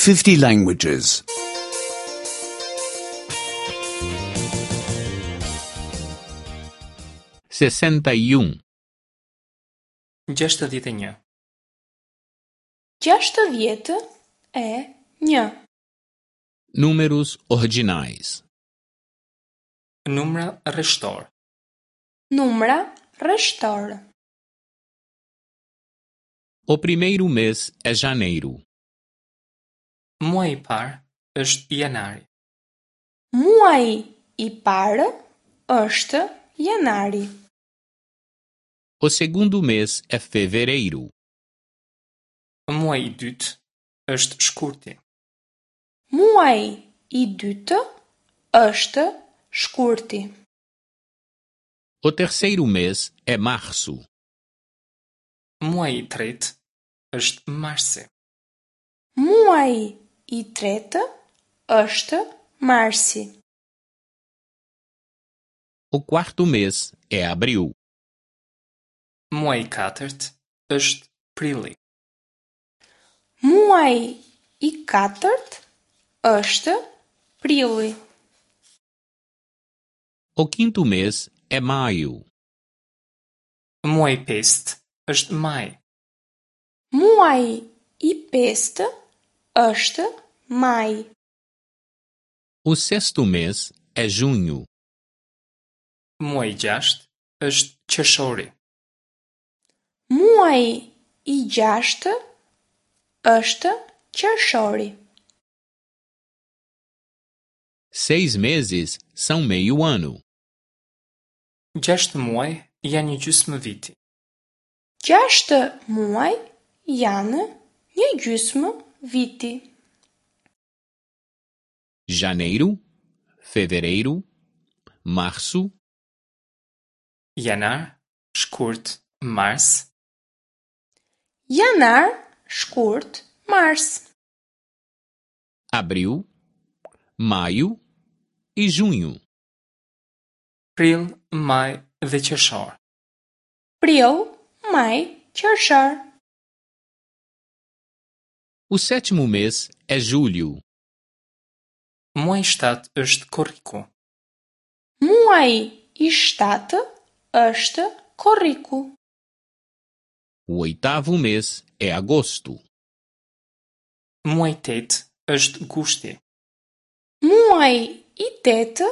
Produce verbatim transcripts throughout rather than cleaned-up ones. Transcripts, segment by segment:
fifty languages. sessenta e um, gjashtëdhjetë e një, Gjashtëdhjetë e një. Números ordinais. Numra rreshtor, Numra rreshtor. O primeiro mês é janeiro. Muaji i parë është janari. Muaji i parë është janari. O segundo mês é fevereiro. Muaji i dytë është shkurti. Muaji i dytë është shkurti. O terceiro mês é março. Muaji i tretë është marsi. Muaji i tretë është marsi. O quarto mês é abril. Muaji i katërt është prilli. Muaji i katërt është prilli. O quinto mês é maio. Muaji i pestë është maj. Muaji i pestë është maj. O sexto mês é junho. Muaji i gjashtë është qershori. Muaji i gjashtë është qershori. Seis meses são meio ano. Gjashtë muaj janë një gjysmë viti. Gjashtë muaj janë një gjysmë viti. Janeiro, fevereiro, março, Janar, shkurt, mars, Janar, shkurt, mars. Abril, maio e junho. Prill, maj dhe qershor. Prill, maj, qershor. O sétimo mês é julho. Muaji i shtatë është korriku. Muaji i shtatë është korriku. O oitavo mês é agosto. Muaji i tetë është gushti. Muaji i tetë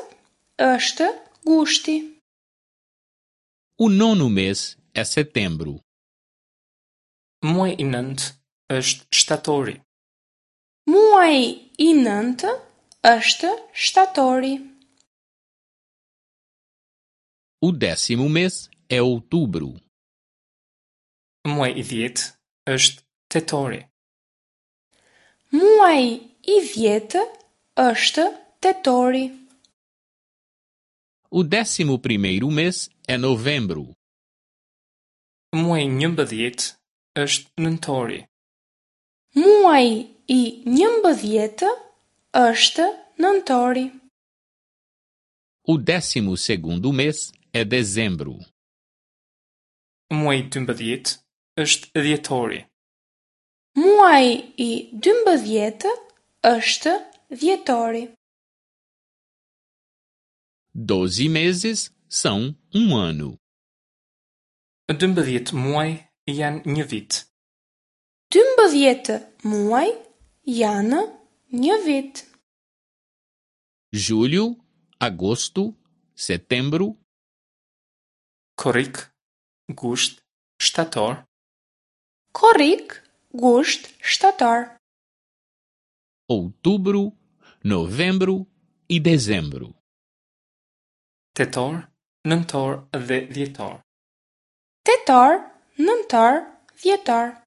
është gushti. O nono mês é setembro. Muaji i nëntë është shtatori. Muaji i nëntë është shtatori. O décimo mês é outubro. Muaji i dhjetë është tetori. Muaji i dhjetë është tetori. O décimo primeiro mês é novembro. Muaji i njëmbëdhjetë është nëntori. Muaji i njëmbëdhjetë është nëntori. O décimo segundo mês é dezembro. Muaji i dymbëdhjetë është dhjetori. Muaji i dymbëdhjetë është dhjetori. Doze meses são um ano. Dymbëdhjetë muaj janë një vit. Dymbëdhjetë muaj janë një vit. Julho, agosto, setembro, Korrik, gusht, shtator, Korrik, gusht, shtator. Outubro, novembro e dezembro. Tetor, nëntor dhe dhjetor. Tetor, nëntor, dhjetor.